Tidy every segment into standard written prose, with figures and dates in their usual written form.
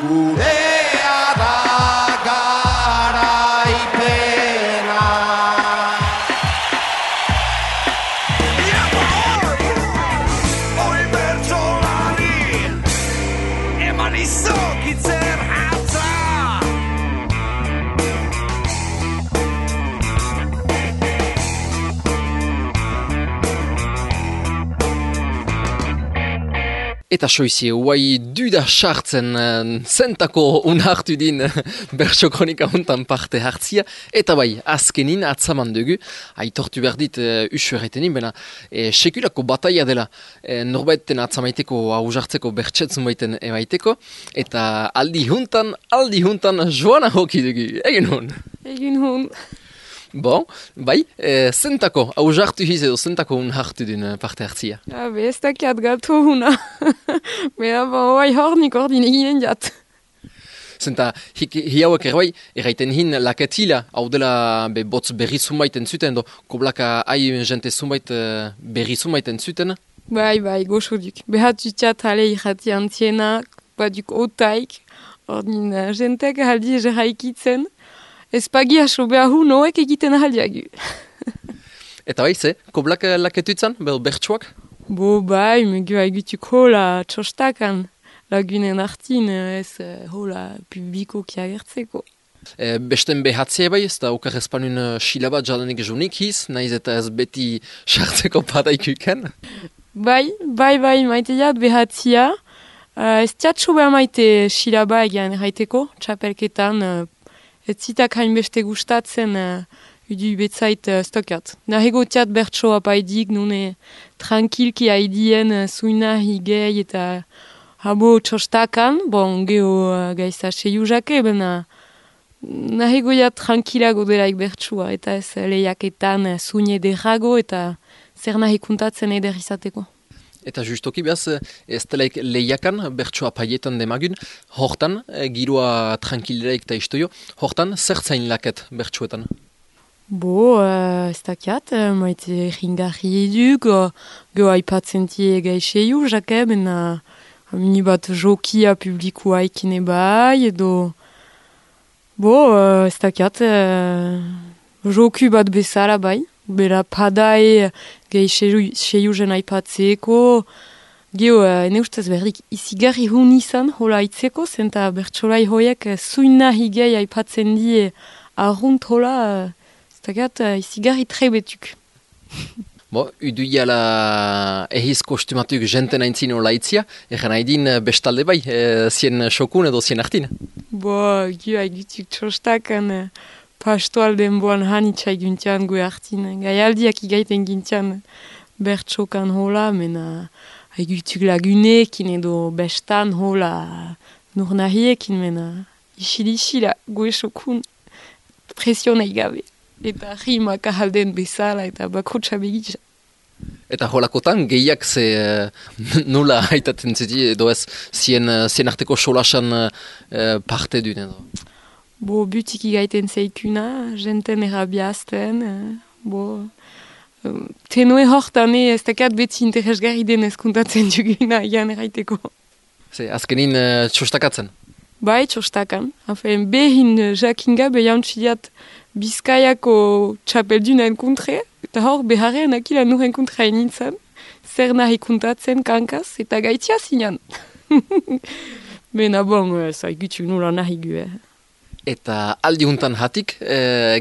gurea da garaipena. Hoi bertsolari eman izokitzen hatza. Eta soizie, guai duda sartzen zentako unhartu din bertso kronika hontan parte hartzia. Eta bai, azkenin atzaman dugu, aitortu behar dit usueretenin, bena sekulako bataia dela norbaiten atzamaiteko hausartzeko bertsetzun baiten emaiteko. Eta aldi huntan joana hoki dugu, egin hon. Egin hon. Bon, bai, zentako hausartu hiz edo zentako unhartu din parte hartzia. Be ez dakiat gato huna. Bera, bai hornik ordin eginen jat. Zenta, hi hauek erbai, erraiten hin laketila, hau dela botz berri zumbaiten zuten, do koblaka hai jente zumbait berri zumbaiten zuten. Bai, goxoduk. Behat jutxat hale irrati antziena, baduk otaik, ordin jentek haldi egeraikitzen. Ez pagi haso behahu noek egiten ahaldiagu. Eta bai, ze, koblak laketutzen, bertsuak? Bai, megu haigutuk hola txostakan lagunen artin, ez hola publikoki agertzeko. Besten behatzea bai, ez da okar espanun silabat jalanik junik hiz, nahiz eta ez beti sartzeko padaikuken? Bai, maite jat behatzia. Ez tiatxo behar maite silaba egian erraiteko, txapelketan, ez zitak hainbeste gustatzen udu betzait stokat. Nahego tiat bertso apaidik, nune tranquilki haidien zuina higei eta habo txostakan, bon, geho gaisa seiu jake, bena nahego jat tranquilago delaik bertsua, eta ez lehiaketan zuine derrago eta zer nahi kuntatzen eder izateko. Eta justoki behaz, ez delaik lehiakan, bertsoa paietan demagun, hortan, giroa tranquileraik eta istoio, hortan, zertzain laket bertsuetan? Ez dakiat, maite ringarri eduk, geho aipatzen tie gaixeiu, jake, bena mini bat jokia publikua ikine bai, edo ez dakiat, joku bat bezala bai. Bera padai gehi jen aipatzeko. Geho, ene ustez berdik izigarri hun izan hola aitzeko, zenta bertsolai hoiek zuina higei aipatzen die arrunt hola, zetakat izigarri trebetuk. Udu iala ehiz kostumatuk jenten aintzin hola aitzia, egen haidin bestalde bai, zien xokun edo zien artin? Geho haigutuk txostakan pastoal denboan hanitxai guntian gue hartin. Gaialdiak igaiten gintian bertsokan hola, mena haigutuk lagunekin edo bestan hola nur nahiekin, mena isila gue xokun presionei gabe. Eta rimak ahalden bezala eta bakotxa begitza. Eta holakotan gehiak ze nula haitatzen ziti edo ez zien arteko solasan parte duen edo? Butiki gaiten zeikuna, jenten erabiazten, tenue hortan ez dakat beti interesgarri denez kuntatzen duguna egan erraiteko. Azkenin txostakatzen? Bai, txostakan. Behin jakinga behantzidiat Bizkaiako txapeldunen kontre, eta hor beharrean akila nuren kontra nintzen, zer nahi kuntatzen kankaz, eta gaitzia zinan. Bena zaigutuk nula nahi gu, Eta aldi huntan hatik,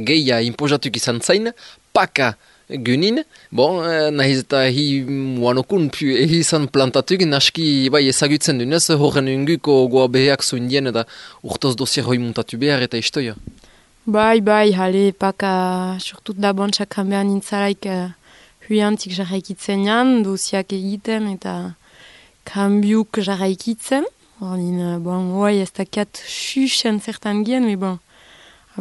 gehia impozatuk izan zain, paka gunin, nahiz eta hi muanokun izan plantatuk, naski bai ezagutzen dunez, horren unguko goa beheak zuindien eta urtoz dosier hoi muntatu behar eta istoia. Bai, hale, paka surtut da bontxak hanbean nintzalaik huiantik jarraikitzen jan, dosiak egiten eta kambiuk jarraikitzen. Oai ez dakiat xuxen zertan gien,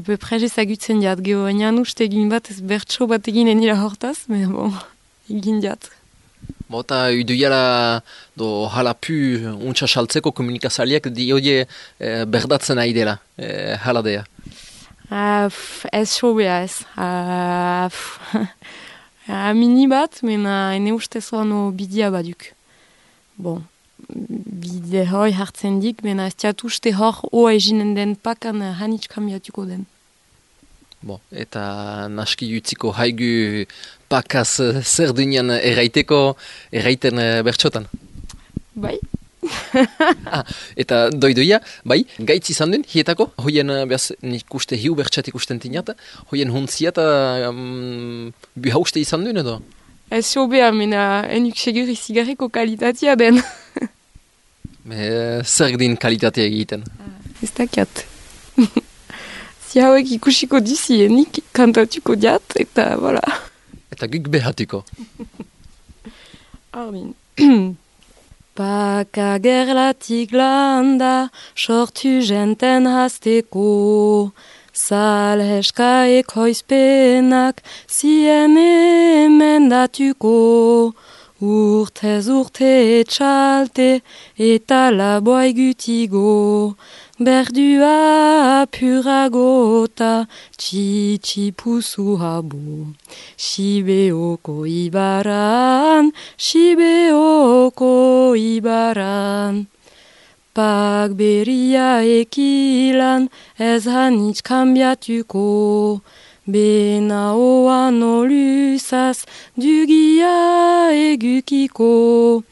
peu prez ezagutzen diat, geho enian uste egin bat ez bertso bat egin enila hortaz, egin diat. Eta uduiala do halapu untsa saltzeko komunikazaliak diodie berdatzen ari dela, haladea. Ez sobea ez. Mini bat, mena ene ustez oano bidia baduk. bide hoi hartzen dik, bena ez diat uste hor oa eginen den pakan hanitz kambiatuko den. Bon, eta naski utziko haigu pakaz zer dunean erraiten bertxotan. Bai? Eta doidoia, bai, gaitz izan duen, hietako, hoien, behaz, nik uste hiu bertxat ikusten tinat, hoien huntzia eta buhauste izan duen edo? Ez sobea, mena enuk segur izigarriko kalitatea den. Zer din kalitatea egiten? Ez dakiat. Si hauek ikusiko dizienik kantatuko diat, eta voilà. Eta guk behatuko. Armin. Paka gerlatik landa, sortu jenten hasteko. Salheska ekoizpenak, zien emendatuko. Urtez urte etxalte, eta laboa egutigo. Berdua apuragota, txitxipuzu habo. Sibeoko ibaran. Pak beria ekilan, ez hanitz kambiatuko. Bena oan olusaz, dugia egukiko.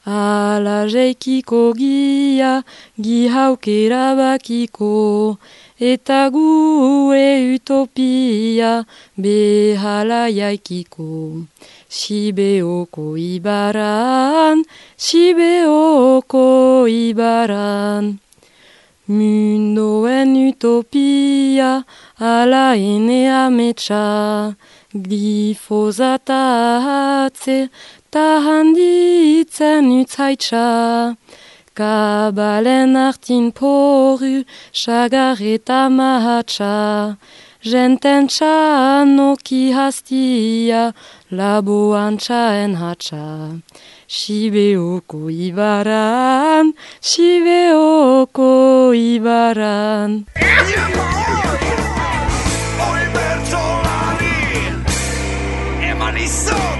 Ala jeikiko gia, gihaukera bakiko. Eta gu utopia, behala jaikiko. Sibeoko ibaran. Mundoen utopia, ala ene ametsa. Glifosata hatze, ta handitzen utzaitsa. Kabalen artin poru, sagar eta mahatsa. Jenten txanoki hastia, laboan txaen hatsa. Sibeoko ibaran. Oi bertsolari, eman izok